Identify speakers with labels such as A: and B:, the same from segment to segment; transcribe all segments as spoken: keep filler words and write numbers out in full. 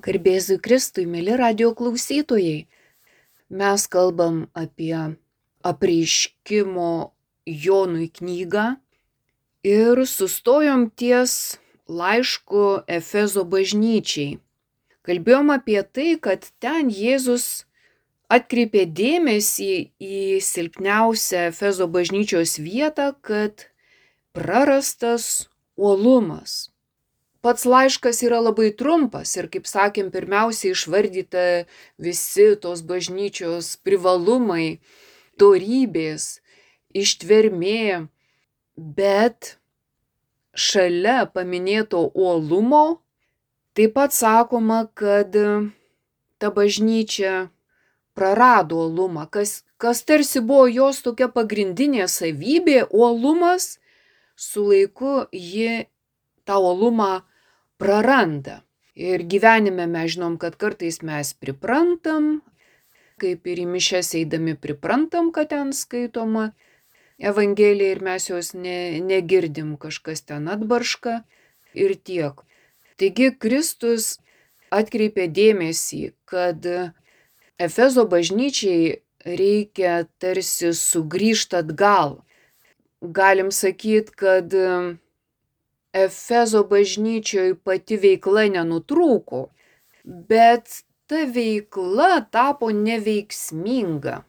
A: Garbėzui Kristui, mėly radijo klausytojai, mes kalbam apie apreiškimo Jonui knygą ir sustojom ties laišku Efezo bažnyčiai. Kalbėjom apie tai, kad ten Jėzus atkreipė dėmesį į silpniausią Efezo bažnyčios vietą, kad prarastas uolumas. Pats laiškas yra labai trumpas ir, kaip sakėm, pirmiausia išvardyta visi tos bažnyčios privalumai, dorybės, ištvermė, bet šalia paminėto uolumo taip pat sakoma, kad ta bažnyčia prarado uolumą, kas, kas tarsi buvo jos tokia pagrindinė savybė, uolumas, su laiku ji tą uolumą praranda. Ir gyvenime mes žinom, kad kartais mes priprantam, kaip ir į mišias eidami priprantam, kad ten skaitoma Evangelija ir mes jos ne, negirdim, kažkas ten atbarška ir tiek. Taigi Kristus atkreipė dėmesį, kad Efezo bažnyčiai reikia tarsi sugrįžti atgal. Galim sakyti, kad Efezo bažnyčioje pati veikla nenutrūko, bet ta veikla tapo neveiksminga.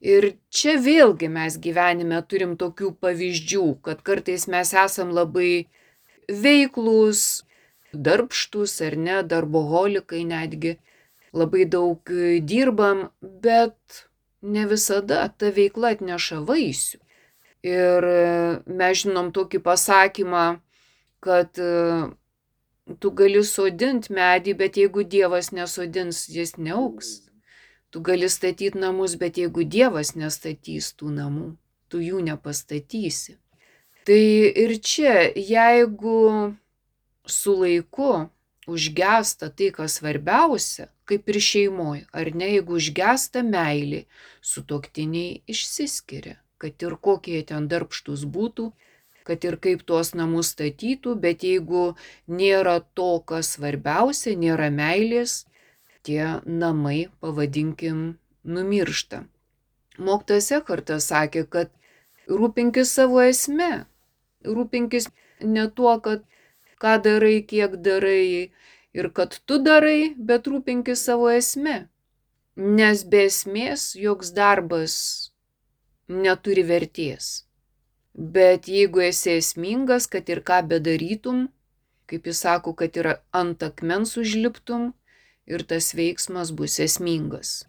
A: Ir čia vėlgi mes gyvenime turim tokių pavyzdžių, kad kartais mes esam labai veiklūs, darbštūs ar ne, darboholikai netgi, labai daug dirbam, bet ne visada ta veikla atneša vaisių. Ir mes žinom tokį pasakymą, kad tu gali sodinti medį, bet jeigu Dievas nesodins, jis neaugs. Tu gali statyti namus, bet jeigu Dievas nestatys tų namų, tu jų nepastatysi. Tai ir čia, jeigu su laiku užgesta tai, kas svarbiausia, kaip ir šeimoje, ar ne, jeigu užgesta meilė, sutuoktiniai išsiskiria, kad ir kokie ten darbštus būtų, kad ir kaip tuos namus statytų, bet jeigu nėra to, kas svarbiausia, nėra meilės, tie namai, pavadinkim, numiršta. Mokytojas Ekhartas sakė, kad rūpinkis savo esme, rūpinkis ne tuo, kad ką darai, kiek darai ir kad tu darai, bet rūpinkis savo esme, nes be esmės joks darbas neturi vertės. Bet jeigu esi esmingas, kad ir ką bedarytum, kaip jis sako, kad ir ant akmens užliptum, ir tas veiksmas bus esmingas.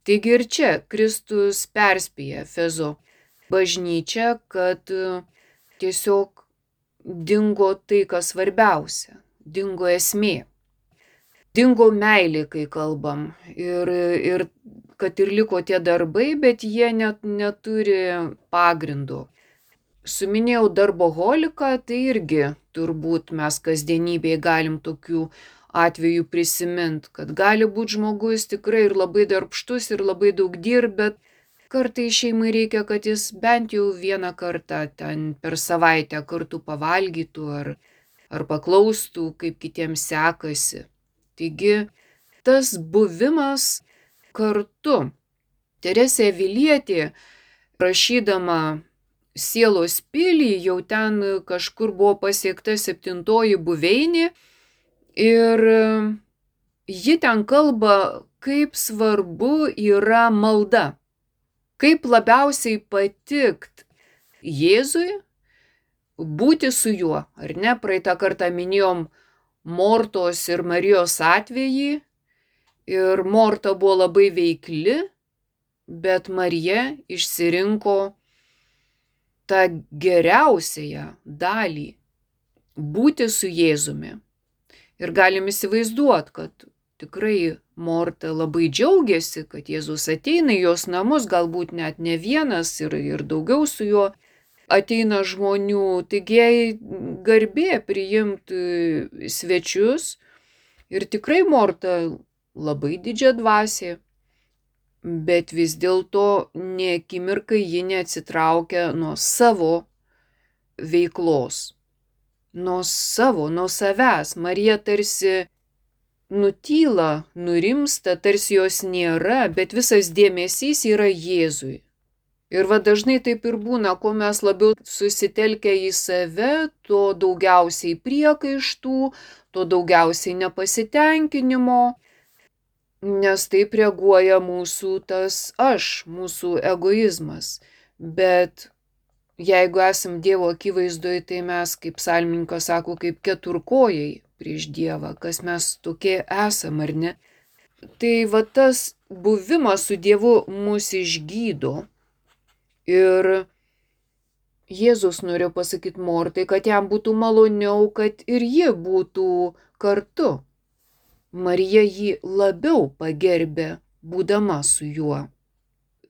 A: Taigi ir čia Kristus perspėja Efezo bažnyčią, kad tiesiog dingo tai, kas svarbiausia, dingo esmė. Dingo meilė, kai kalbam, ir, ir kad ir liko tie darbai, bet jie net neturi pagrindo. Suminėjau darboholiką, tai irgi turbūt mes kasdienybėje galim tokių atvejų prisimint, kad gali būti žmogus tikrai ir labai darbštus ir labai daug dirb, bet kartais šeimai reikia, kad jis bent jau vieną kartą ten per savaitę kartu pavalgytų ar, ar paklaustų, kaip kitiems sekasi. Taigi tas buvimas kartu. Teresė Avilietė, rašydama Sielos pilį, jau ten kažkur buvo pasiekta septintoji buveinė ir ji ten kalba, kaip svarbu yra malda, kaip labiausiai patikt Jėzui, būti su juo, ar ne? Praeitą kartą minėjom Mortos ir Marijos atvejį ir Morta buvo labai veikli, bet Marija išsirinko tą geriausiąją dalį – būti su Jėzumi. Ir galim įsivaizduoti, kad tikrai Morta labai džiaugiasi, kad Jėzus ateina į jos namus, galbūt net ne vienas ir, ir daugiau su juo ateina žmonių, taigi jai garbė priimti svečius ir tikrai Morta labai didžia dvasė. Bet vis dėlto nė akimirkai ji neatsitraukia nuo savo veiklos, nuo savo, nuo savęs. Marija tarsi nutyla, nurimsta, tarsi jos nėra, bet visas dėmesys yra Jėzui. Ir va dažnai taip ir būna, kuo mes labiau susitelkę į save, tuo daugiausiai priekaištų, tuo daugiausiai nepasitenkinimo, nes taip reaguoja mūsų tas aš, mūsų egoizmas. Bet jeigu esam Dievo akivaizdoje, tai mes, kaip psalmininkas sako, kaip keturkojai prieš Dievą, kas mes tokie esam, ar ne? Tai va tas buvimas su Dievu mus išgydo. Ir Jėzus norėjo pasakyti Mortai, kad jam būtų maloniau, kad ir ji būtų kartu. Marija jį labiau pagerbė, būdama su juo.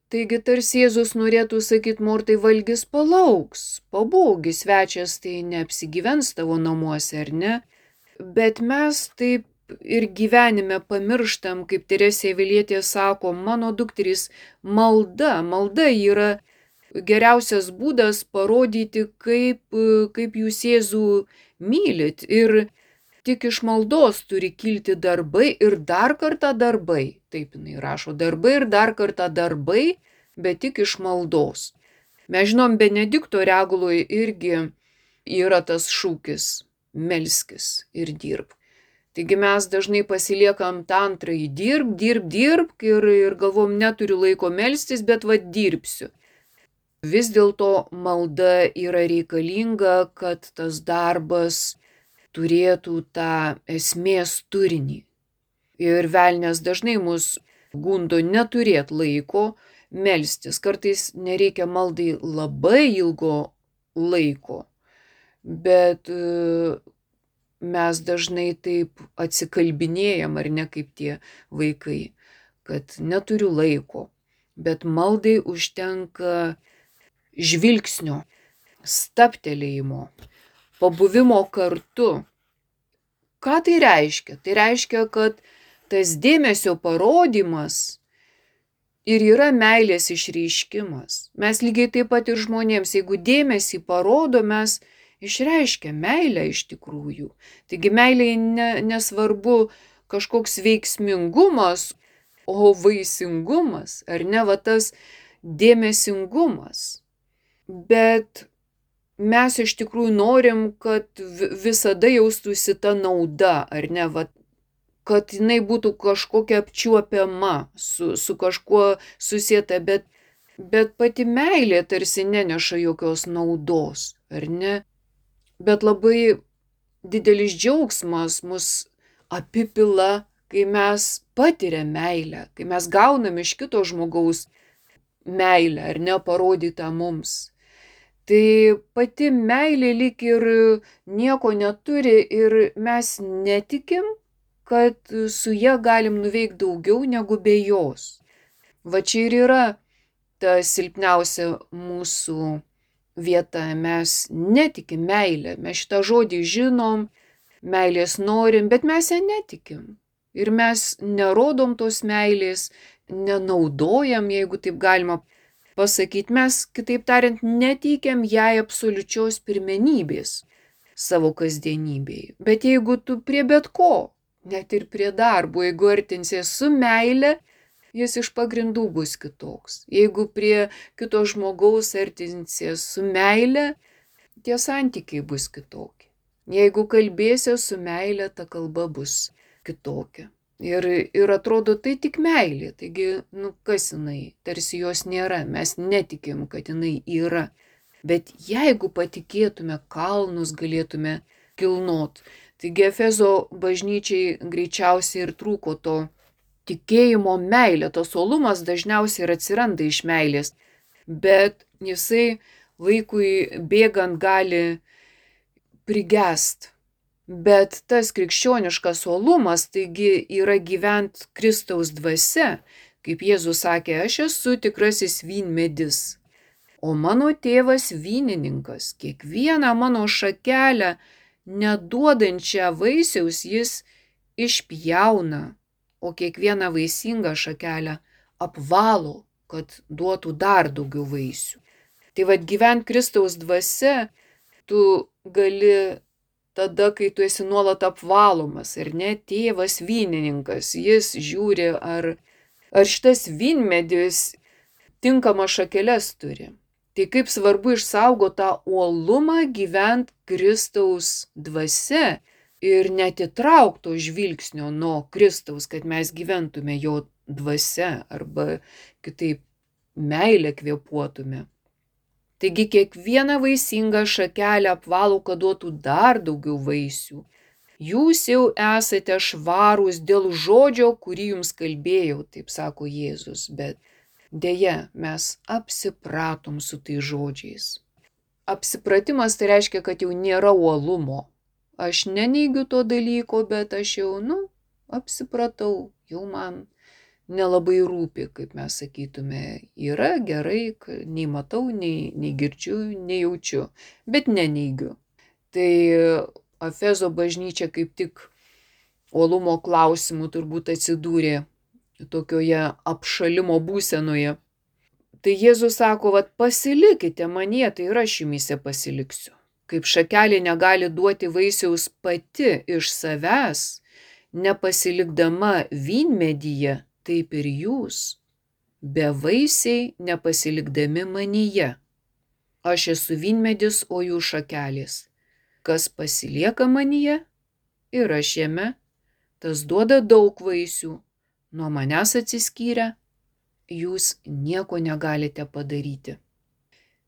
A: Taigi tarsi Jėzus norėtų sakyti Mortai, valgis palauks, pabūgi, svečias tai neapsigyvens tavo namuose, ar ne? Bet mes taip ir gyvenime pamirštam, kaip Teresė Avilietė sako, mano dukterys, malda, malda yra geriausias būdas parodyti, kaip, kaip jūs Jėzų mylit. Ir tik iš maldos turi kilti darbai ir dar kartą darbai. Taip jinai rašo, darbai ir dar kartą darbai, bet tik iš maldos. Mes žinom, Benedikto Reguloje irgi yra tas šūkis – melskis ir dirbk. Taigi mes dažnai pasiliekam tą antrąjį – dirb, dirb, dirbk ir, ir galvom, neturiu laiko melstis, bet va dirbsiu. Vis dėlto malda yra reikalinga, kad tas darbas turėtų tą esmės turinį. Ir velnias dažnai mus gundo neturėti laiko melstis. Kartais nereikia maldai labai ilgo laiko, bet mes dažnai taip atsikalbinėjam, ar ne kaip tie vaikai, kad neturiu laiko. Bet maldai užtenka žvilgsnio, staptelėjimo, pabuvimo kartu. Ką tai reiškia? Tai reiškia, kad tas dėmesio parodymas ir yra meilės išreiškimas. Mes lygiai taip pat ir žmonėms, jeigu dėmesį parodo, mes išreiškia meilę iš tikrųjų. Taigi meilė ne, nesvarbu kažkoks veiksmingumas, o vaisingumas, ar ne, va tas dėmesingumas. Bet mes iš tikrųjų norim, kad visada jaustųsi ta nauda, ar ne, va, kad jinai būtų kažkokia apčiuopiama, su, su kažkuo susieta, bet, bet pati meilė tarsi neneša jokios naudos, ar ne? Bet labai didelis džiaugsmas mus apipila, kai mes patiriam meilę, kai mes gaunam iš kito žmogaus meilę, ar ne, parodytą mums. Tai pati meilė lyg ir nieko neturi ir mes netikim, kad su ja galim nuveikti daugiau negu be jos. Va čia ir yra ta silpniausia mūsų vieta. Mes netikim meilę, mes šitą žodį žinom, meilės norim, bet mes ją netikim. Ir mes nerodom tos meilės, nenaudojam, jeigu taip galima pasakyti, mes, kitaip tariant, neteikiam jai absoliučios pirmenybės savo kasdienybėje. Bet jeigu tu prie bet ko, net ir prie darbo, jeigu artinsies su meile, jis iš pagrindų bus kitoks. Jeigu prie kito žmogaus artinsies su meile, tie santykiai bus kitokie. Jeigu kalbėsies su meile, ta kalba bus kitokia. Ir, ir atrodo, tai tik meilė. Taigi, nu kas jinai? Tarsi jos nėra. Mes netikim, kad jinai yra. Bet jeigu patikėtume, kalnus galėtume kilnot. Taigi Efezo bažnyčiai greičiausiai ir trūko to tikėjimo meilė. Tas uolumas dažniausiai ir atsiranda iš meilės. Bet jisai laikui bėgant gali prigest. Bet tas krikščioniškas uolumas, taigi yra gyvent Kristaus dvasia, kaip Jėzus sakė, aš esu tikrasis vynmedis, o mano tėvas vynininkas, kiekvieną mano šakelę neduodančią vaisiaus jis išpjauna, o kiekvieną vaisingą šakelę apvalo, kad duotų dar daugiau vaisių. Tai vad gyvent Kristaus dvasia, tu gali tada, kai tu esi nuolat apvalomas, ar ne, tėvas vynininkas, jis žiūri, ar, ar šitas vynmedis tinkamas šakeles turi. Tai kaip svarbu išsaugoti tą uolumą, gyvent Kristaus dvasia ir netitraukto žvilgsnio nuo Kristaus, kad mes gyventume jo dvasia arba kitaip meilę kvėpuotume. Taigi kiekvieną vaisingą šakelę apvalo, kad duotų dar daugiau vaisių. Jūs jau esate švarūs dėl žodžio, kurį jums kalbėjau, taip sako Jėzus, bet deja, mes apsipratom su tai žodžiais. Apsipratimas tai reiškia, kad jau nėra uolumo. Aš neneigiu to dalyko, bet aš jau, nu, apsipratau, jau man nelabai rūpi, kaip mes sakytume, yra gerai, nei matau, nei, nei girdžiu, nei jaučiu, bet neneigiu. Tai Efezo bažnyčia kaip tik uolumo klausimų turbūt atsidūrė tokioje apšalimo būsenoje. Tai Jėzus sako, vat pasilikite manyje, tai ir aš jumyse pasiliksiu. Kaip šakelė negali duoti vaisiaus pati iš savęs, nepasilikdama vynmedyje, taip ir jūs, bevaisiai nepasilikdami manyje. Aš esu vynmedis, o jūs šakelės. Kas pasilieka manyje ir aš jame, tas duoda daug vaisių. Nuo manęs atsiskyrę, jūs nieko negalite padaryti.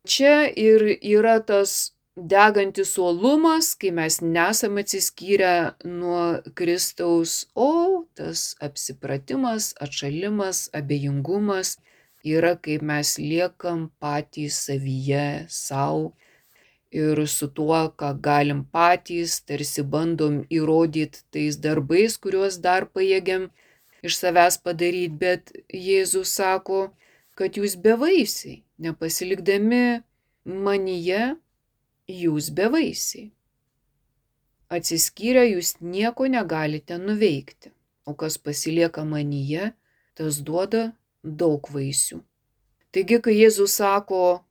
A: Čia ir yra tas degantis uolumas, kai mes nesam atsiskyrę nuo Kristaus, o tas apsipratimas, atšalimas, abejingumas yra, kaip mes liekam patys savyje, savo ir su tuo, ką galim patys, tarsi bandom įrodyti tais darbais, kuriuos dar pajėgiam iš savęs padaryti, bet Jėzus sako, kad jūs bevaisiai, nepasilikdami manyje, jūs bevaisiai. Atsiskyrę jūs nieko negalite nuveikti, o kas pasilieka manyje, tas duoda daug vaisių. Taigi, kai Jėzus sako,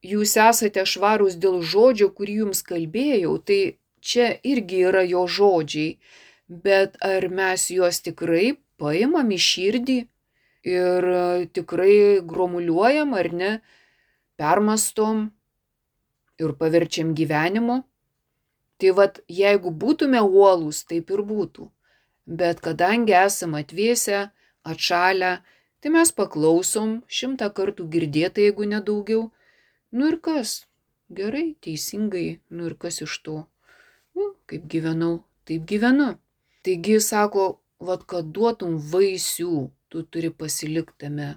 A: jūs esate švarūs dėl žodžio, kurį jums kalbėjau, tai čia irgi yra jo žodžiai, bet ar mes juos tikrai paimam į širdį ir tikrai gromuliuojam ar ne, permastom ir paverčiam gyvenimu? Tai vat, jeigu būtume uolūs, taip ir būtų. Bet kadangi esam atvėsę, atšalę, tai mes paklausom, šimtą kartų girdėta, jeigu nedaugiau. Nu ir kas? Gerai, teisingai, nu ir kas iš to? Nu, kaip gyvenau, taip gyvenu. Taigi sako, vat, kad duotum vaisių, tu turi pasilikti tame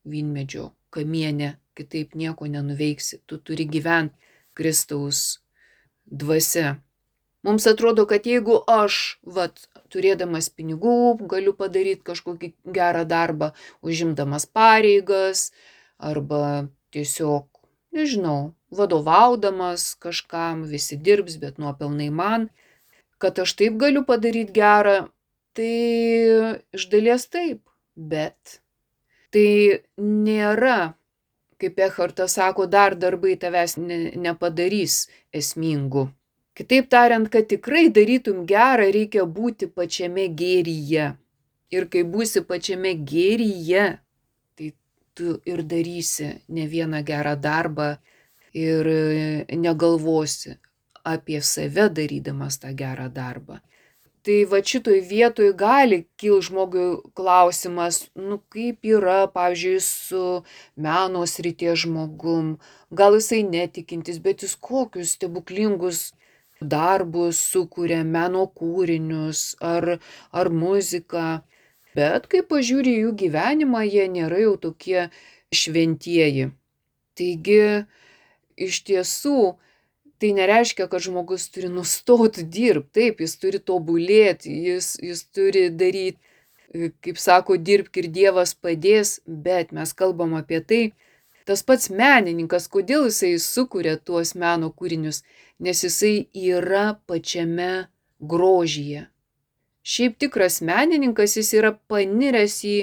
A: vynmedžio kamiene, kitaip nieko nenuveiksi, tu turi gyventi Kristaus dvasia. Mums atrodo, kad jeigu aš, vat, turėdamas pinigų, galiu padaryti kažkokį gerą darbą, užimdamas pareigas, arba tiesiog, nežinau, vadovaudamas kažkam, visi dirbs, bet nuopelnai man, kad aš taip galiu padaryti gerą, tai iš dalies taip, bet tai nėra, kaip Echartas sako, dar darbai tavęs ne, nepadarys esmingų. Kitaip tariant, kad tikrai darytum gerą, reikia būti pačiame gėryje. Ir kai būsi pačiame gėryje, tai tu ir darysi ne vieną gerą darbą ir negalvosi apie save darydamas tą gerą darbą. Tai va šitoj vietoj gali kil žmogui klausimas, nu kaip yra, pavyzdžiui, su meno srities žmogum, gal jisai netikintis, bet jis kokius stebuklingus darbus sukuria, meno kūrinius ar, ar muziką, bet kai pažiūri jų gyvenimą, jie nėra jau tokie šventieji. Taigi, iš tiesų, tai nereiškia, kad žmogus turi nustoti dirbti, taip, jis turi tobulėti, jis, jis turi daryti, kaip sako, dirbk ir Dievas padės, bet mes kalbam apie tai, tas pats menininkas, kodėl jisai sukuria tuos meno kūrinius, nes jisai yra pačiame grožyje. Šiaip tikras menininkas, jis yra paniręs į,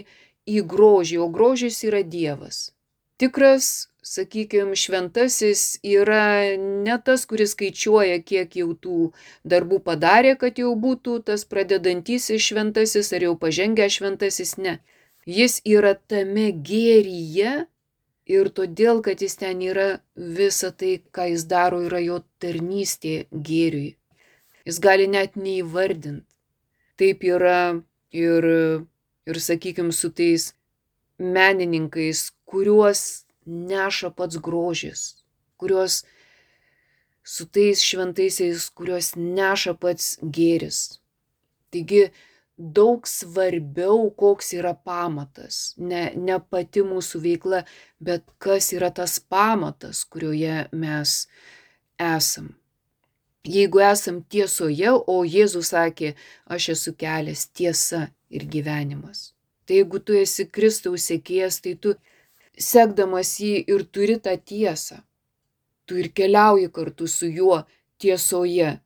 A: į grožį, o grožis yra Dievas. Tikras sakykime, šventasis yra ne tas, kuris skaičiuoja, kiek jau tų darbų padarė, kad jau būtų tas pradedantysis šventasis ar jau pažengęs šventasis, ne. Jis yra tame gėryje ir todėl, kad jis ten yra, visa tai, ką jis daro, yra jo tarnystė gėriui. Jis gali net neįvardinti. Taip yra ir, ir sakykime, su tais menininkais, kuriuos neša pats grožis, kuriuos su tais šventaisiais, kuriuos neša pats gėris. Taigi daug svarbiau, koks yra pamatas, ne, ne pati mūsų veikla, bet kas yra tas pamatas, kurioje mes esam. Jeigu esam tiesoje, o Jėzus sakė, aš esu kelias, tiesa ir gyvenimas. Tai jeigu tu esi Kristaus sekėjas, tai tu sekdamas jį ir turi tą tiesą. Tu ir keliauji kartu su juo tiesoje.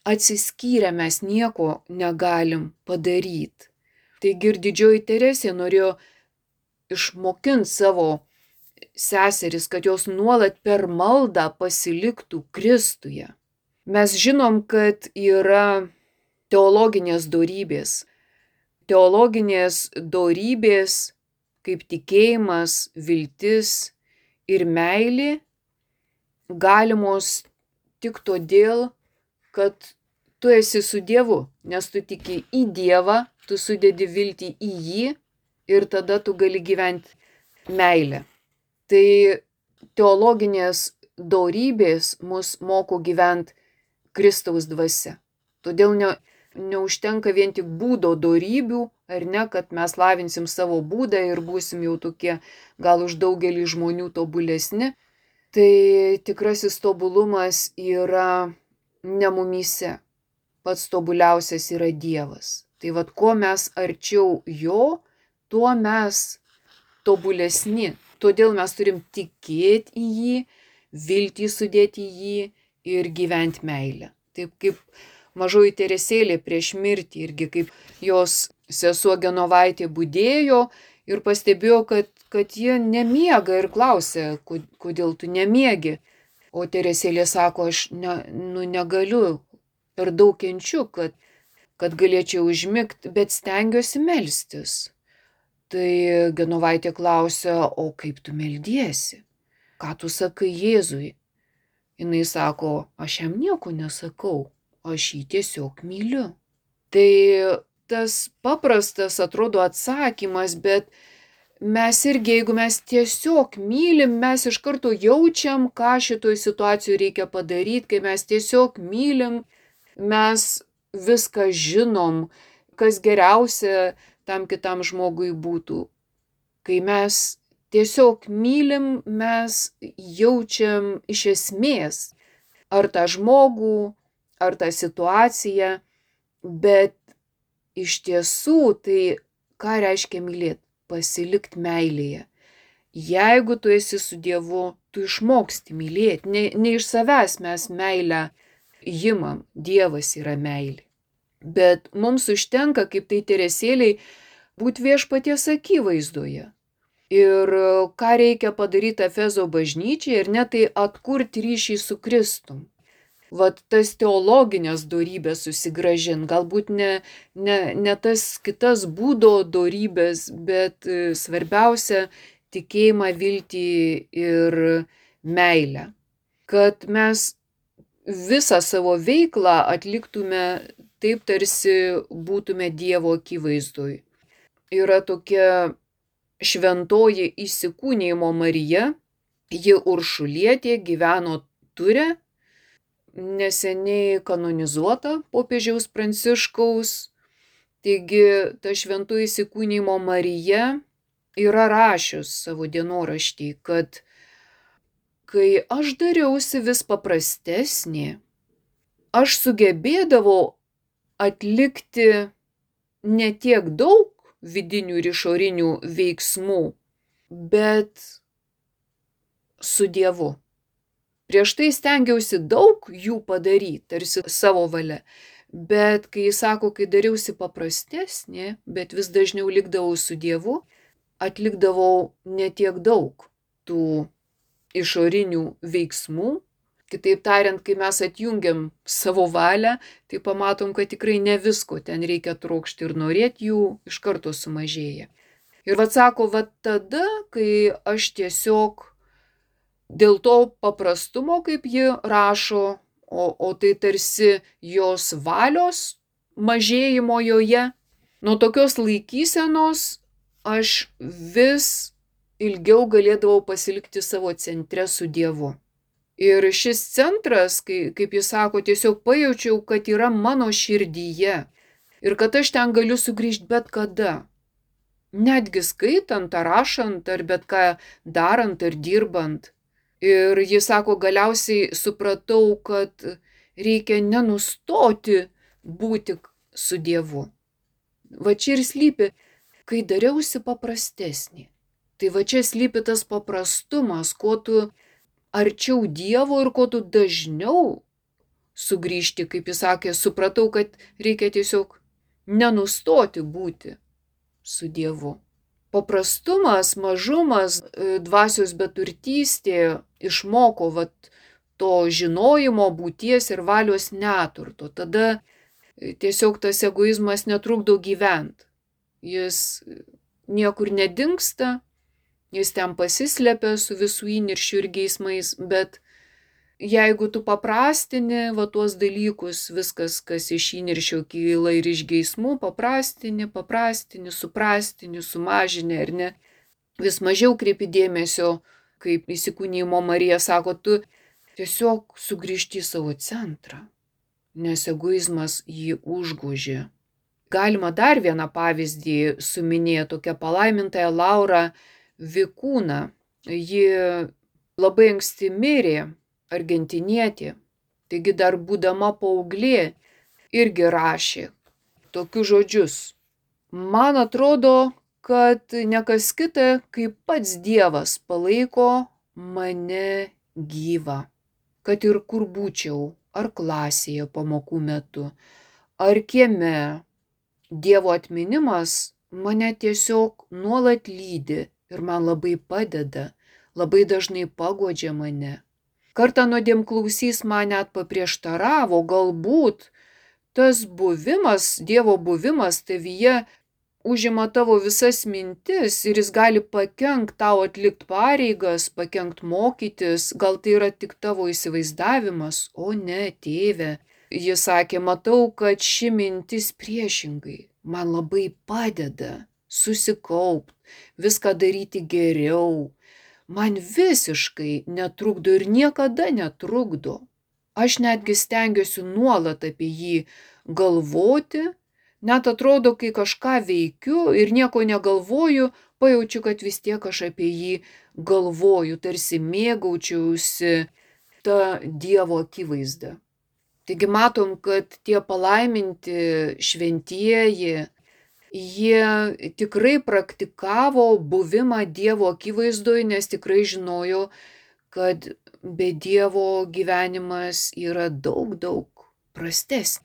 A: Atsiskyrę mes nieko negalim padaryti. Taigi ir didžioji Teresė norėjo išmokinti savo seseris, kad jos nuolat per maldą pasiliktų Kristuje. Mes žinom, kad yra teologinės dorybės. Teologinės dorybės kaip tikėjimas, viltis ir meilė galimos tik todėl, kad tu esi su Dievu, nes tu tiki į Dievą, tu sudedi viltį į jį ir tada tu gali gyventi meilę. Tai teologinės dorybės mus moko gyventi Kristaus dvasia. Todėl ne, neužtenka vien tik būdo dorybių, ar ne, kad mes lavinsim savo būdą ir būsim jau tokie gal už daugelį žmonių tobulesni. Tai tikrasis tobulumas yra ne mumyse. Pats tobuliausias yra Dievas. Tai vad, kuo mes arčiau jo, tuo mes tobulesni. Todėl mes turim tikėti į jį, viltį sudėti į jį ir gyventi meilę. Taip kaip mažoji Teresėlė prieš mirtį, irgi kaip jos sesuo Genovaitė budėjo ir pastebėjo, kad, kad jie nemiega ir klausė, kodėl tu nemiegi. O Teresėlė sako, aš ne, nu, negaliu, per daug kenčiu, kad, kad galėčiau užmigti, bet stengiuosi melstis. Tai Genovaitė klausė, o kaip tu meldiesi? Ką tu sakai Jėzui? Jinai sako, aš jam nieko nesakau, aš jį tiesiog myliu. Tai tas paprastas atrodo atsakymas, bet mes irgi, jeigu mes tiesiog mylim, mes iš karto jaučiam, ką šitoj situacijoj reikia padaryti, kai mes tiesiog mylim, mes viską žinom, kas geriausia tam kitam žmogui būtų. Kai mes tiesiog mylim, mes jaučiam iš esmės ar tą žmogų, ar tą situaciją, bet iš tiesų tai ką reiškia mylėti? Pasilikti meilėje. Jeigu tu esi su Dievu, tu išmoksti mylėti. Ne, ne iš savęs mes meilę imam, Dievas yra meilė. Bet mums užtenka, kaip tai Teresėliai, būti viešpaties akivaizdoje. Ir ką reikia padaryti Efezo bažnyčiai, ir ne tai atkurti ryšį su Kristum. Vat tas teologinės dorybės susigrąžint, galbūt ne, ne, ne tas kitas būdo dorybės, bet svarbiausia tikėjimą, viltį ir meilę. Kad mes visą savo veiklą atliktume taip, tarsi būtume Dievo akivaizdoj. Yra tokia šventoji įsikūnijimo Marija, ji Uršulietė, gyveno Ture, neseniai kanonizuota popiežiaus Pranciškaus. Taigi ta šventoji įsikūnijimo Marija yra rašius savo dienoraštį, kad kai aš dariausi vis paprastesnė, aš sugebėdavau atlikti ne tiek daug vidinių ir išorinių veiksmų, bet su Dievu. Prieš tai stengiausi daug jų padaryti, tarsi savo valia. Bet kai jis sako, kai dariausi paprastesnė, bet vis dažniau likdavau su Dievu, atlikdavau ne tiek daug tų išorinių veiksmų. Kitaip tariant, kai mes atjungiam savo valią, tai pamatom, kad tikrai ne visko ten reikia trokšti ir norėti, jų iš karto sumažėja. Ir vat sako, vat tada, kai aš tiesiog dėl to paprastumo, kaip ji rašo, o, o tai tarsi jos valios mažėjimo joje, nuo tokios laikysenos aš vis ilgiau galėdavau pasilikti savo centre su Dievu. Ir šis centras, kai, kaip jis sako, tiesiog pajaučiau, kad yra mano širdyje ir kad aš ten galiu sugrįžti bet kada. Netgi skaitant, ar rašant, ar bet ką darant, ar dirbant. Ir jis sako, galiausiai supratau, kad reikia nenustoti būti su Dievu. Va čia ir slypi, kai dariausi paprastesnį. Tai va čia slypi tas paprastumas, kuo tu arčiau Dievo ir kuo tu dažniau sugrįžti, kaip jis sakė, supratau, kad reikia tiesiog nenustoti būti su Dievu. Paprastumas, mažumas, dvasios beturtystė išmoko vat, to žinojimo, būties ir valios neturto. Tada tiesiog tas egoizmas netrukdo gyventi. Jis niekur nedingsta. Jis ten pasislepia su visų įniršių ir geismais, bet jeigu tu paprastini va tuos dalykus, viskas, kas iš įniršio kyla ir iš geismų, paprastini, paprastini, suprastini, sumažini ar ne, vis mažiau kreipi dėmesio, kaip įsikūnijimo Marija sako, tu tiesiog sugrįžti į savo centrą, nes egoizmas jį užgožė. Galima dar vieną pavyzdį suminėti, tokia palaimintąją Laurą Vikūną. Ji labai anksti mirė, argentinietė, taigi dar būdama paauglė irgi rašė tokius žodžius. Man atrodo, kad ne kas kita, kaip pats Dievas palaiko mane gyvą. Kad ir kur būčiau, ar klasėje pamokų metu, ar kieme, Dievo atminimas mane tiesiog nuolat lydi. Ir man labai padeda, labai dažnai paguodžia mane. Kartą nuodėmklausys man net paprieštaravo, galbūt tas buvimas, Dievo buvimas tavyje užima tavo visas mintis ir jis gali pakenkt tau atlikti pareigas, pakenkt mokytis, gal tai yra tik tavo įsivaizdavimas, o ne, tėve. Jis sakė, matau, kad ši mintis priešingai man labai padeda susikaupt, viską daryti geriau. Man visiškai netrukdo ir niekada netrukdo. Aš netgi stengiuosi nuolat apie jį galvoti, net atrodo, kai kažką veikiu ir nieko negalvoju, pajaučiu, kad vis tiek aš apie jį galvoju, tarsi mėgaučiausi tą Dievo akivaizdą. Taigi matom, kad tie palaiminti šventieji, jie tikrai praktikavo buvimą Dievo akivaizdoje, nes tikrai žinojo, kad be Dievo gyvenimas yra daug, daug prastesnis.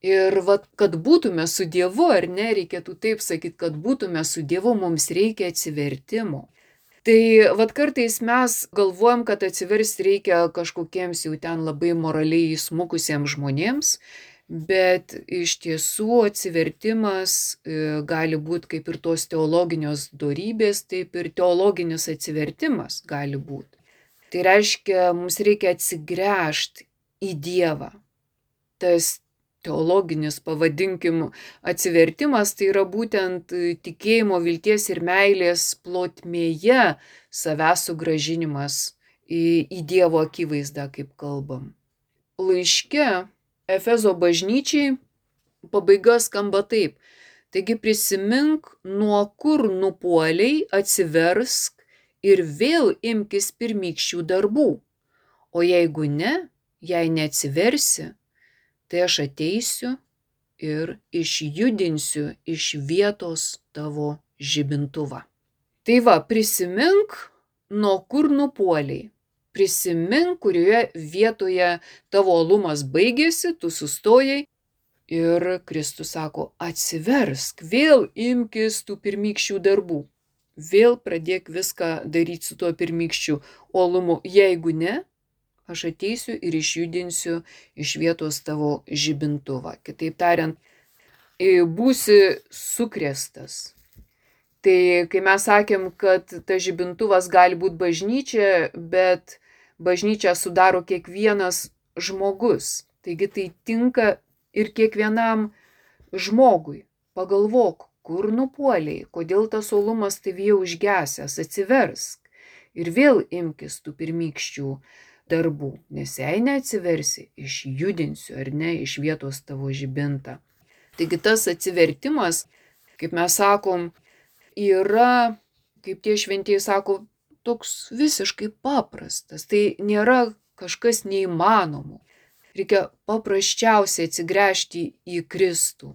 A: Ir vat, kad būtume su Dievu, ar ne, reikėtų taip sakyti, kad būtume su Dievu, mums reikia atsivertimo. Tai vat kartais mes galvojam, kad atsiversti reikia kažkokiems jau ten labai moraliai įsmukusiems žmonėms, bet iš tiesų atsivertimas gali būti kaip ir tos teologinios dorybės, taip ir teologinis atsivertimas gali būti. Tai reiškia, mums reikia atsigręžti į Dievą. Tas teologinis, pavadinkim, atsivertimas, tai yra būtent tikėjimo, vilties ir meilės plotmėje savęs sugrąžinimas į, į Dievo akivaizdą, kaip kalbam. Laiške Efezo bažnyčiai pabaiga skamba taip. Taigi prisimink, nuo kur nupuoliai, atsiversk ir vėl imkis pirmykščių darbų. O jeigu ne, jei neatsiversi, tai aš ateisiu ir išjudinsiu iš vietos tavo žibintuvą. Tai va, prisimink, nuo kur nupuoliai. Prisimink, kurioje vietoje tavo uolumas baigėsi, tu sustojai ir Kristus sako, atsiversk, vėl imkis tų pirmykščių darbų. vėl pradėk viską daryti su tuo pirmykščiu uolumu. Jeigu ne, aš ateisiu ir išjudinsiu iš vietos tavo žibintuvą. Kitaip tariant, būsi sukrėstas. Tai kai mes sakėm, kad tas žibintuvas gali būti bažnyčia, bet bažnyčią sudaro kiekvienas žmogus. Taigi tai tinka ir kiekvienam žmogui. Pagalvok, kur nupuoliai, kodėl tas uolumas tavyje užgesęs, atsiversk. Ir vėl imkis tų pirmykščių darbų, nes jei neatsiversi, išjudinsiu ar ne iš vietos tavo žibintą. Taigi tas atsivertimas, kaip mes sakom, yra, kaip tie šventieji sako, toks visiškai paprastas. Tai nėra kažkas neįmanomo. Reikia paprasčiausiai atsigręžti į Kristų.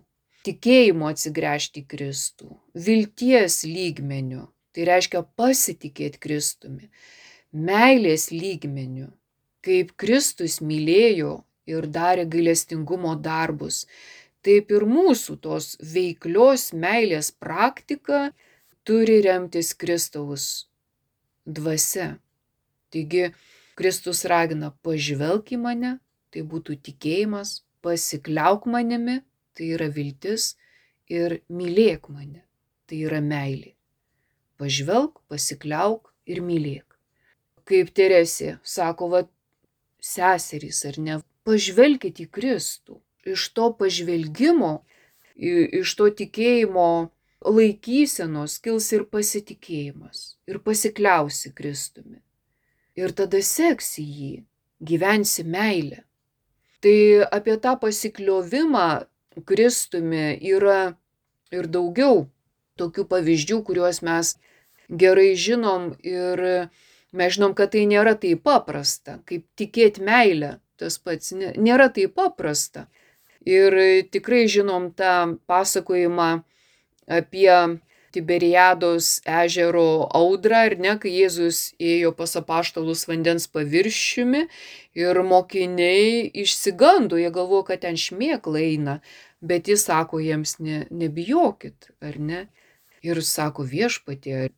A: Tikėjimo atsigręžti į Kristų. Vilties lygmeniu. Tai reiškia pasitikėti Kristumi. Meilės lygmeniu. Kaip Kristus mylėjo ir darė gailestingumo darbus. Taip ir mūsų tos veiklios meilės praktika turi remtis Kristaus dvasia. Taigi Kristus ragina pažvelk į mane, tai būtų tikėjimas, pasikliauk manimi, tai yra viltis, ir mylėk mane, tai yra meilė. Pažvelk, pasikliauk ir mylėk. Kaip Teresė sako, va, seserys ar ne, pažvelkit į Kristų. Iš to pažvelgimo, iš to tikėjimo laikysenos kils ir pasitikėjimas, ir pasikliausi Kristumi. Ir tada seksi jį, gyvensi meilę. Tai apie tą pasikliovimą Kristumi yra ir daugiau tokių pavyzdžių, kuriuos mes gerai žinom, ir mes žinom, kad tai nėra taip paprasta, kaip tikėti meilę, tas pats nėra taip paprasta. Ir tikrai žinom tą pasakojimą apie Tiberiados ežero audrą, ar ne, kai Jėzus ėjo pas apaštalus vandens paviršiumi ir mokiniai išsigando, jie galvojo, kad ten šmėkla eina, bet jis sako jiems, ne, nebijokit, ar ne? Ir sako viešpatie,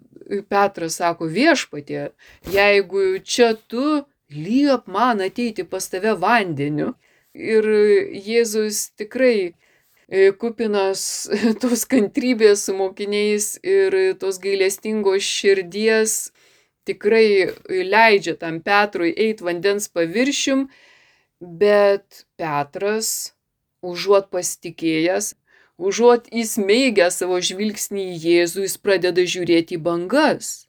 A: Petras sako viešpatie, jeigu čia tu, liep man ateiti pas tave vandeniu. Ir Jėzus tikrai kupinas tos kantrybės su mokiniais ir tos gailestingos širdies tikrai leidžia tam Petrui eiti vandens paviršium, bet Petras, užuot pasitikėjęs, užuot įsmeigęs savo žvilgsnį į Jėzų, jis pradeda žiūrėti į bangas.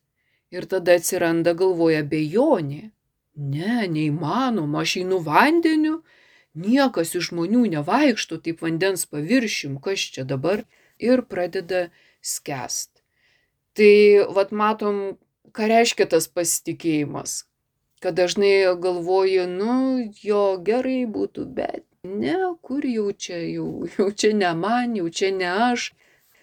A: Ir tada atsiranda galvoje abejonė. Ne, neįmanoma, aš einu vandeniu. Niekas iš žmonių nevaikšto taip vandens paviršium, kas čia dabar, ir pradeda skęst. Tai vat matom, ką reiškia tas pasitikėjimas, kad dažnai galvoju, nu, jo gerai būtų, bet ne, kur jau čia, jau, jau čia ne man, jau čia ne aš,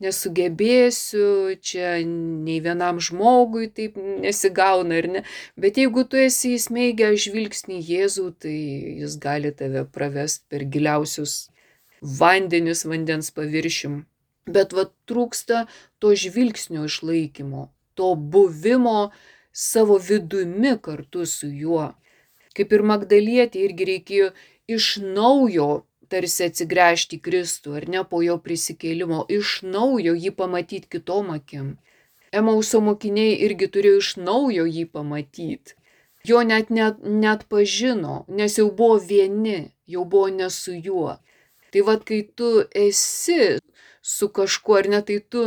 A: nesugebėsiu, čia nei vienam žmogui taip nesigauna, ar ne? Bet jeigu tu esi įsmeigęs žvilgsnį į Jėzų, tai jis gali tave pravest per giliausius vandenis vandens paviršium. Bet va trūksta to žvilgsnio išlaikymo, to buvimo savo vidumi kartu su juo. Kaip ir Magdalietei irgi reikėjo iš naujo tarsi atsigręžti į Kristų, ar ne, po jo prisikėlimo, iš naujo jį pamatyti kitom akim. Emauso mokiniai irgi turėjo iš naujo jį pamatyti. Jo net net, net pažino, nes jau buvo vieni, jau buvo ne su juo. Tai vad, kai tu esi su kažkuo, ar ne, tai tu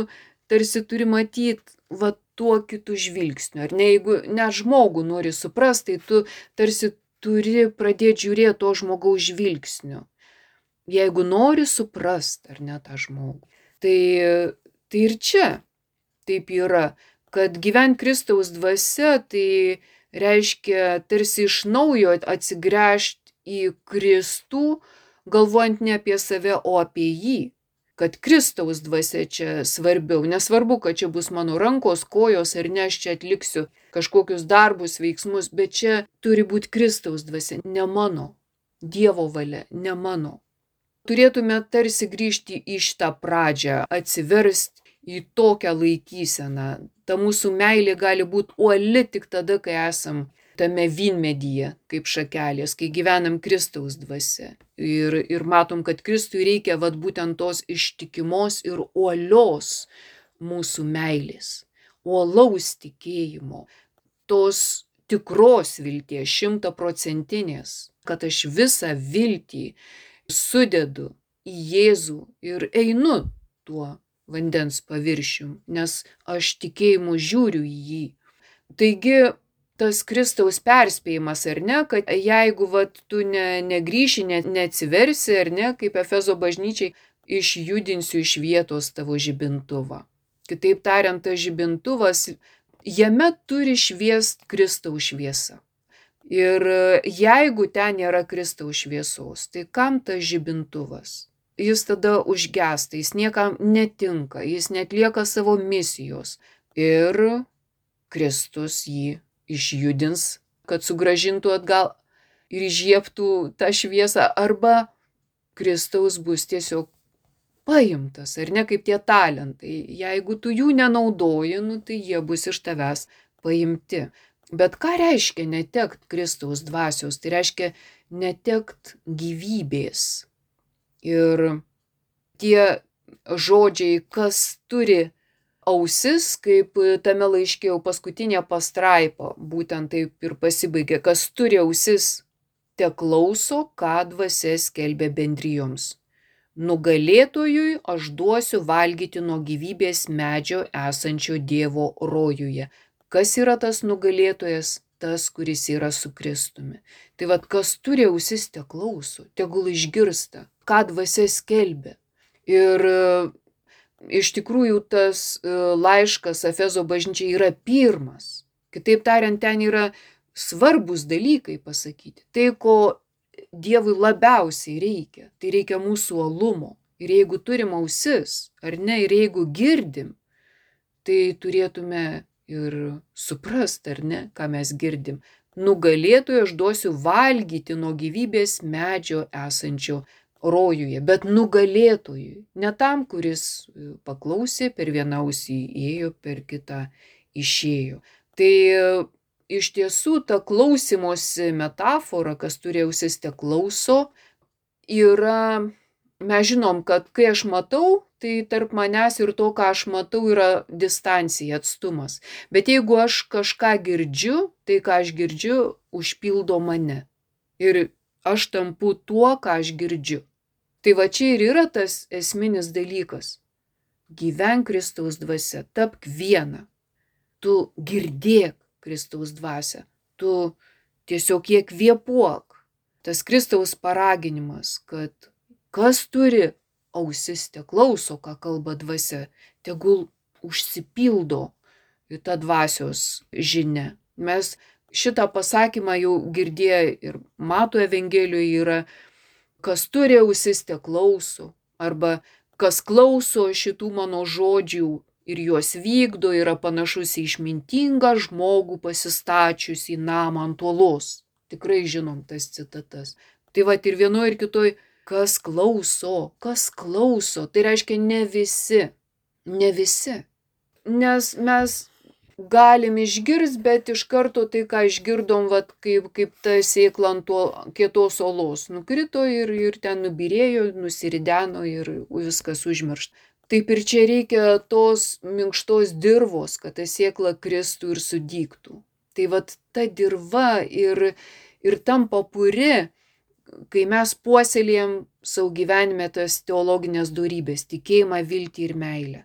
A: tarsi turi matyti va tuo kitų žvilgsniu, ar ne, jeigu net žmogų nori suprasti, tai tu tarsi turi pradėti žiūrėti to žmogaus žvilgsniu. Jeigu nori suprasti, ar ne, tą žmogų. Tai, tai ir čia taip yra, kad gyvent Kristaus dvasia, tai reiškia tarsi iš naujo atsigręžti į Kristų, galvojant ne apie save, o apie jį. Kad Kristaus dvasia čia svarbiau. Nesvarbu, kad čia bus mano rankos, kojos, ar ne, aš čia atliksiu kažkokius darbus, veiksmus, bet čia turi būti Kristaus dvasia, ne mano. Dievo valia, ne mano. Turėtume tarsi grįžti į šitą pradžią, atsiversti į tokią laikyseną. Ta mūsų meilė gali būti uoli tik tada, kai esam tame vynmedyje, kaip šakelės, kai gyvenam Kristaus dvasia. Ir, ir matom, kad Kristui reikia vat būtent tos ištikimos ir uolios mūsų meilės, uolaus tikėjimo, tos tikros vilties, šimtaprocentinės, kad aš visą viltį sudedu į Jėzų ir einu tuo vandens paviršium, nes aš tikėjimu žiūriu į jį. Taigi tas Kristaus perspėjimas, ar ne, kad jeigu vat, tu ne, negrįši, ne, neatsiversi, ar ne, kaip Efezo bažnyčiai, išjudinsiu iš vietos tavo žibintuvą. Kitaip tariant, tas žibintuvas, jame turi šviest Kristaus šviesa. Ir jeigu ten nėra Kristaus šviesos, tai kam tas žibintuvas? Jis tada užgęsta, jis niekam netinka, jis netlieka savo misijos. Ir Kristus jį išjudins, kad sugrąžintų atgal ir įžiebtų tą šviesą, arba Kristaus bus tiesiog paimtas, ar ne, kaip tie talentai. Jeigu tu jų nenaudoji, nu, tai jie bus iš tavęs paimti. Bet ką reiškia netekt Kristaus dvasios? Tai reiškia netekt gyvybės. Ir tie žodžiai, kas turi ausis, kaip tame laiške jau paskutinė pastraipa, būtent taip ir pasibaigė, kas turi ausis, te klauso, ką dvasia skelbia bendrijoms. Nugalėtojui aš duosiu valgyti nuo gyvybės medžio esančio Dievo rojuje. Kas yra tas nugalėtojas? Tas, kuris yra su Kristumi. Tai vad, kas turi ausis, te klauso, tegul išgirsta, ką dvasia skelbia. Ir iš tikrųjų tas laiškas Efezo bažnyčiai yra pirmas. Kitaip tariant, ten yra svarbus dalykai pasakyti. Tai, ko Dievui labiausiai reikia, tai reikia mūsų uolumo. Ir jeigu turim ausis, ar ne, ir jeigu girdim, tai turėtume ir suprast, ar ne, ką mes girdim. Nugalėtojui aš duosiu valgyti nuo gyvybės medžio esančio rojuje, bet nugalėtojui, ne tam, kuris paklausė, per vieną ausį ėjo, per kitą išėjo. Tai iš tiesų ta klausymosi metafora, kas turi ausis, te klauso, yra, mes žinom, kad kai aš matau, tai tarp manęs ir to, ką aš matau, yra distancija, atstumas. Bet jeigu aš kažką girdžiu, tai ką aš girdžiu, užpildo mane. Ir aš tampu tuo, ką aš girdžiu. Tai va čia ir yra tas esminis dalykas. Gyvenk Kristaus dvasia, tapk viena. Tu girdėk Kristaus dvasią. Tu tiesiog kiek kvėpuok. Tas Kristaus paraginimas, kad kas turi ausis, te klauso, ką kalba dvasia, tegul užsipildo į tą dvasios žinią. Mes šitą pasakymą jau girdėję ir Mato Evangelijoje yra, kas turi ausis, te klauso, arba kas klauso šitų mano žodžių ir juos vykdo, yra panašus į išmintingą žmogų pasistačius į namą ant uolos. Tikrai žinom tas citatas. Tai va ir vienoje ir kitoje, kas klauso, kas klauso, tai reiškia ne visi, ne visi. Nes mes galim išgirsti, bet iš karto tai, ką išgirdom, vat, kaip, kaip ta sėkla ant kietos uolos nukrito ir, ir ten nubyrėjo, nusirideno ir viskas užmiršta. Taip ir čia reikia tos minkštos dirvos, kad ta sėkla kristų ir sudygtų. Tai vat ta dirva ir, ir tampa puri, kai mes puoselėjam savo gyvenime tas teologinės dorybės, tikėjimą, viltį ir meilę.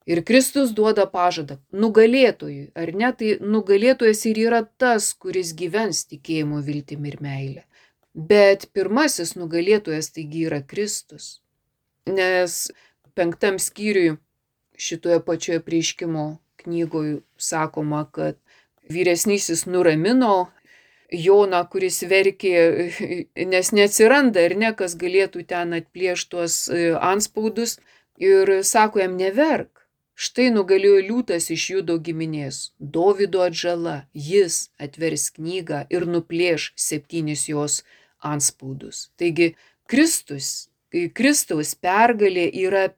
A: Ir Kristus duoda pažadą nugalėtojui, ar ne, tai nugalėtojas ir yra tas, kuris gyvens tikėjimu, viltimi ir meilė. Bet pirmasis nugalėtojas taigi yra Kristus. Nes penktam skyriui šitoje pačioje Apreiškimo knygoje sakoma, kad vyresnysis nuramino Joną, kuris verkė, nes neatsiranda ir ne, kas galėtų ten atplėšti tuos antspaudus, ir sako jam neverk. Štai nugalėjo liūtas iš Judo giminės, Dovydo atžala, jis atvers knygą ir nuplėš septynis jos antspaudus. Taigi Kristus, Kristaus pergalė yra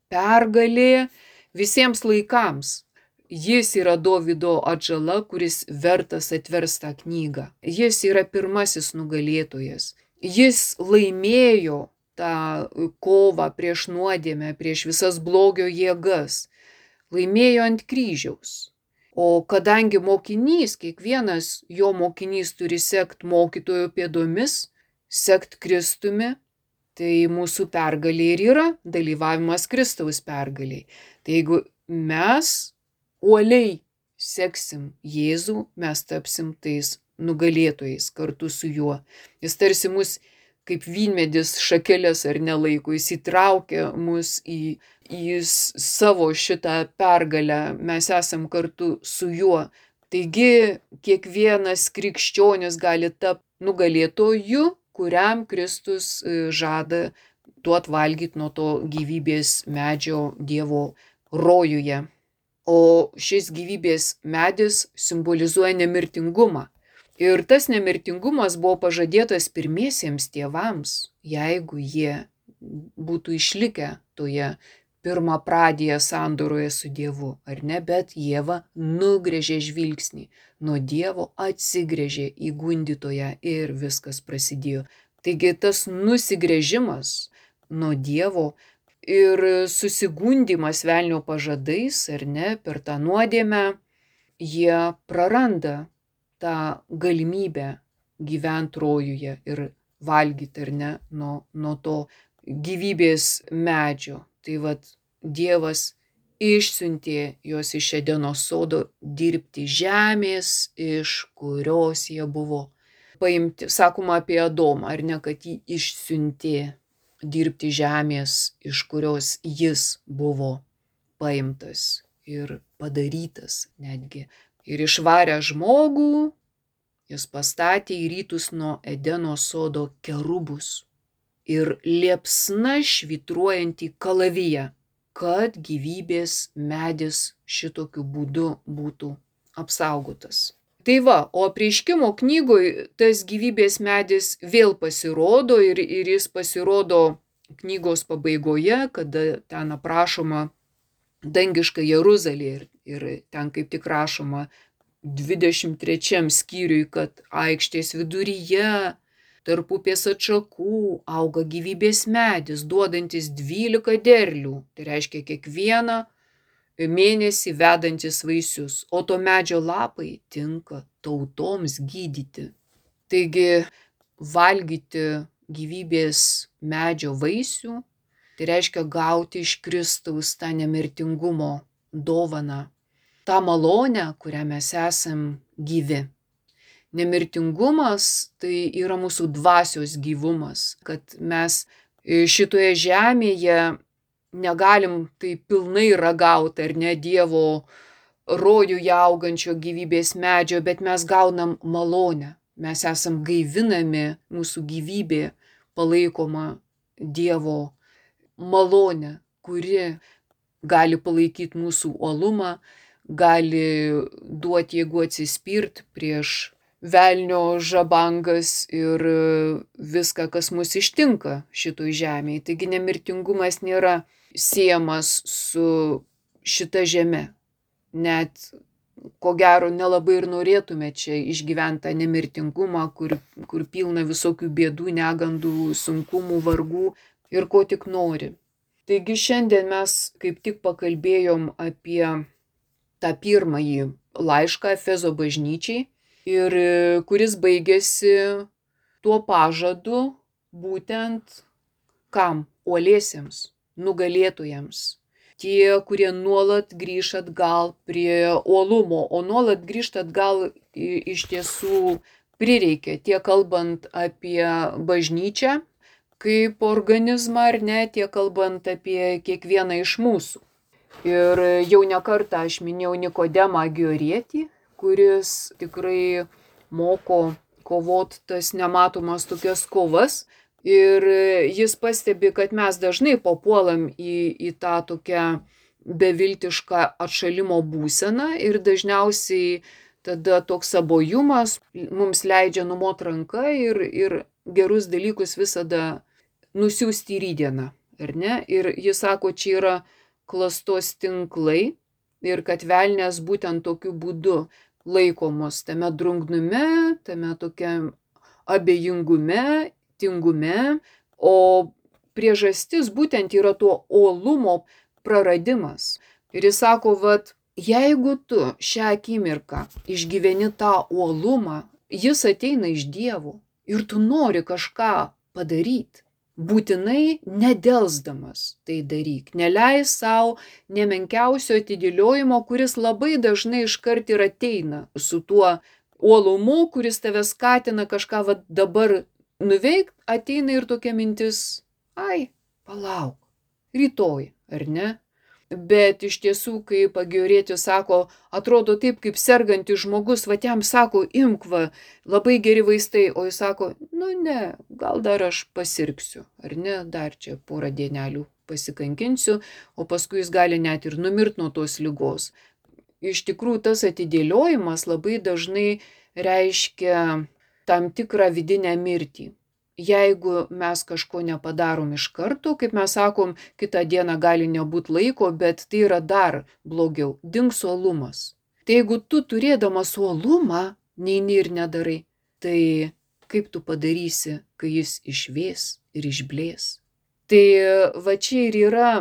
A: pergalė visiems laikams. Jis yra Dovydo atžala, kuris vertas atverst tą knygą. Jis yra pirmasis nugalėtojas. Jis laimėjo tą kovą prieš nuodėmę, prieš visas blogio jėgas. Laimėjo ant kryžiaus. O kadangi mokinys, kiekvienas jo mokinys turi sekt mokytojo pėdomis, sekt Kristumi, tai mūsų pergalė ir yra dalyvavimas Kristaus pergaliai. Tai jeigu mes uoliai seksim Jėzų, mes tapsim tais nugalėtojais kartu su juo. Jis tarsi mus kaip vynmedis šakeles ar nelaiko, jis įtraukia mus į, į savo šitą pergalę, mes esam kartu su juo. Taigi kiekvienas krikščionis gali tapti nugalėtoju, kuriam Kristus žada duot valgyti nuo to gyvybės medžio Dievo rojuje. O šis gyvybės medis simbolizuoja nemirtingumą. Ir tas nemirtingumas buvo pažadėtas pirmiesiems tėvams, jeigu jie būtų išlikę toje pirmapradėje sandoroje su Dievu, ar ne, bet Ieva nugrėžė žvilgsnį nuo Dievo, atsigrėžė į gundytoją ir viskas prasidėjo. Taigi tas nusigrėžimas nuo Dievo ir susigundymas velnio pažadais, ar ne, per tą nuodėmę, jie praranda tą galimybę gyventi rojuje ir valgyti, ar ne, nuo, nuo to gyvybės medžio. Tai vat Dievas išsiuntė juos iš Edeno sodo dirbti žemės, iš kurios jie buvo paimti. Sakoma apie Adomą, ar ne, kad jį išsiuntė dirbti žemės, iš kurios jis buvo paimtas ir padarytas netgi. Ir išvarę žmogų, jis pastatė į rytus nuo Edeno sodo kerubus ir liepsna švytruojantį kalaviją, kad gyvybės medis šitokiu būdu būtų apsaugotas. Tai va, o Apreiškimo knygoj tas gyvybės medis vėl pasirodo ir, ir jis pasirodo knygos pabaigoje, kada ten aprašoma dangiška Jeruzalė ir, ir ten kaip tik rašoma dvidešimt trečiam skyriui, kad aikštės viduryje tarp upės atšakų auga gyvybės medis, duodantis dvylika derlių, tai reiškia kiekvieną mėnesį vedantis vaisius, o to medžio lapai tinka tautoms gydyti. Taigi valgyti gyvybės medžio vaisių, tai reiškia gauti iš Kristaus tą nemirtingumo dovaną, tą malonę, kurią mes esam gyvi. Nemirtingumas tai yra mūsų dvasios gyvumas, kad mes šitoje žemėje negalim tai pilnai ragauti, ar ne, Dievo rojuje augančio gyvybės medžio, bet mes gaunam malonę. Mes esam gaivinami, mūsų gyvybė palaikoma Dievo malonę, kuri gali palaikyti mūsų uolumą, gali duoti jėgų atsispirt prieš velnio žabangas ir viską, kas mus ištinka šitoj žemėje. Taigi nemirtingumas nėra siejamas su šita žeme. Net ko gero nelabai ir norėtume čia išgyventi tą nemirtingumą, kur, kur pilna visokių bėdų, negandų, sunkumų, vargų ir ko tik nori. Taigi šiandien mes kaip tik pakalbėjom apie tą pirmąjį laišką Efezo bažnyčiai, ir kuris baigėsi tuo pažadu būtent kam? Uoliesiems, nugalėtojams. Tie, kurie nuolat grįš atgal prie uolumo, o nuolat grįžt atgal iš tiesų prireikia, tiek kalbant apie bažnyčią kaip organizmą, ar ne, tiek kalbant apie kiekvieną iš mūsų. Ir jau ne kartą aš minėjau Nikodemą Giorietį, kuris tikrai moko kovot tas nematomas tokias kovas. Ir jis pastebi, kad mes dažnai papuolam į, į tą tokią beviltišką atšalimo būseną ir dažniausiai tada toks abuojumas mums leidžia numot ranką ir, ir gerus dalykus visada nusiųsti į rytdieną, ar ne? Ir jis sako, čia yra klastos tinklai ir kad velnias būtent tokiu būdu laikomos tame drungnume, tame tokiam abejingume, tingume, o priežastis būtent yra to uolumo praradimas. Ir jis sako, vat, jeigu tu šią akimirką išgyveni tą uolumą, jis ateina iš Dievo ir tu nori kažką padaryti. Būtinai nedelsdamas tai daryk. Neleis savo nemenkiausio atidėliojimo, kuris labai dažnai iškart ir ateina su tuo uolumu, kuris tave skatina kažką va dabar nuveikti, ateina ir tokia mintis, ai, palauk, rytoj, ar ne? Bet iš tiesų, kai Paggiorietis sako, atrodo taip, kaip sergantis žmogus, va jam sako, imk va, labai geri vaistai, o jis sako, nu ne, gal dar aš pasirgsiu, ar ne, dar čia porą dienelių pasikankinsiu, o paskui jis gali net ir numirti nuo tos ligos. Iš tikrųjų, tas atidėliojimas labai dažnai reiškia tam tikrą vidinę mirtį. Jeigu mes kažko nepadarom iš karto, kaip mes sakom, kitą dieną gali nebūti laiko, bet tai yra dar blogiau, dings uolumas. Tai jeigu tu turėdamas uolumą neini ir nedarai, tai kaip tu padarysi, kai jis išvės ir išblės? Tai va čia ir yra,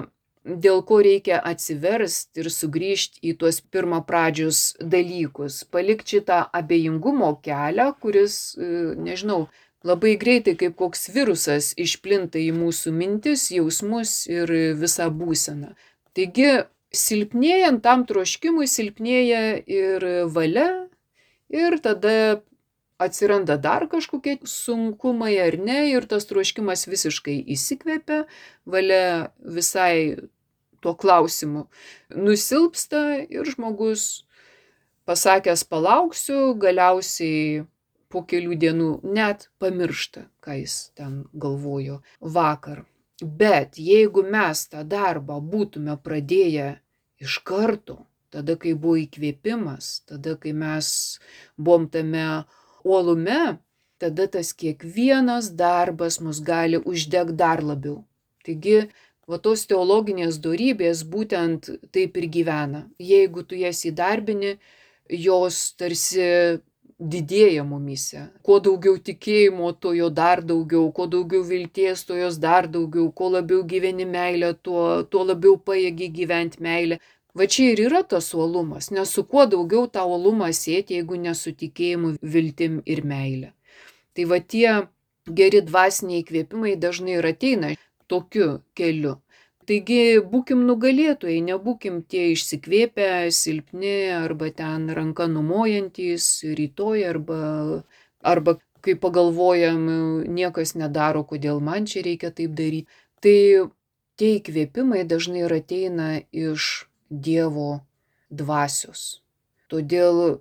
A: dėl ko reikia atsiversti ir sugrįžti į tuos pirmapradžius dalykus, palikti šitą abejingumo kelią, kuris, nežinau, labai greitai kaip koks virusas išplinta į mūsų mintis, jausmus ir visą būseną. Taigi, silpnėjant tam troškimui, silpnėja ir valia, ir tada atsiranda dar kažkokie sunkumai ar ne, ir tas troškimas visiškai įsikvepia, valia visai tuo klausimu nusilpsta ir žmogus pasakęs palauksiu, galiausiai po kelių dienų net pamiršta, ką jis ten galvojo vakar. Bet jeigu mes tą darbą būtume pradėję iš karto, tada, kai buvo įkvėpimas, tada, kai mes buvom tame uolume, tada tas kiekvienas darbas mus gali uždegti dar labiau. Taigi, va tos teologinės dorybės būtent taip ir gyvena. Jeigu tu jas įdarbini, jos tarsi didėja mumyse. Kuo daugiau tikėjimo, to jo dar daugiau, kuo daugiau vilties, to jos dar daugiau, kuo labiau gyveni meilę, tuo, tuo labiau pajėgi gyventi meilę. Va čia ir yra tas uolumas, nes su kuo daugiau tą uolumą sėti, jeigu ne su tikėjimu, viltim ir meilė. Tai va tie geri dvasiniai įkvėpimai dažnai ir ateina tokiu keliu. Taigi būkim nugalėtojai, nebūkim tie išsikvėpę, silpni arba ten ranka numojantys rytoj arba, arba kai pagalvojam, niekas nedaro, kodėl man čia reikia taip daryti. Tai tie įkvėpimai dažnai ir ateina iš Dievo dvasios. Todėl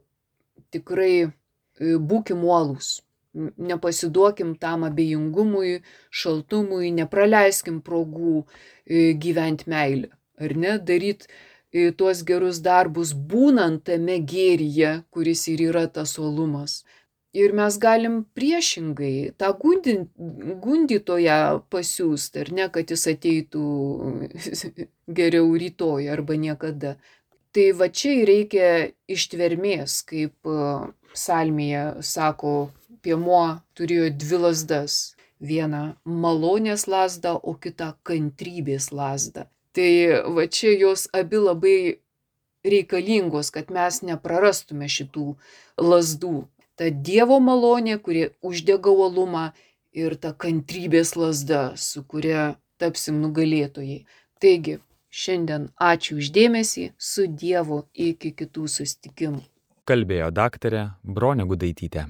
A: tikrai būkim uolūs. Nepasiduokim tam abejingumui, šaltumui, nepraleiskim progų gyventi meilę, ar ne, daryti tuos gerus darbus būnant tame gėryje, kuris ir yra tas uolumas. Ir mes galim priešingai tą gundytoją pasiųsti, ar ne, kad jis ateitų geriau rytoj arba niekada. Tai va čia reikia ištvermės, kaip psalmėje sako, piemuo turėjo dvi lazdas. Vieną malonės lazdą, o kitą kantrybės lazdą. Tai va čia jos abi labai reikalingos, kad mes neprarastume šitų lazdų. Ta Dievo malonė, kuri uždega uolumą, ir ta kantrybės lazda, su kuria tapsim nugalėtojai. Taigi, šiandien ačiū už dėmesį, su Dievu iki kitų susitikimų.
B: Kalbėjo daktarė Bronė Gudaitytė.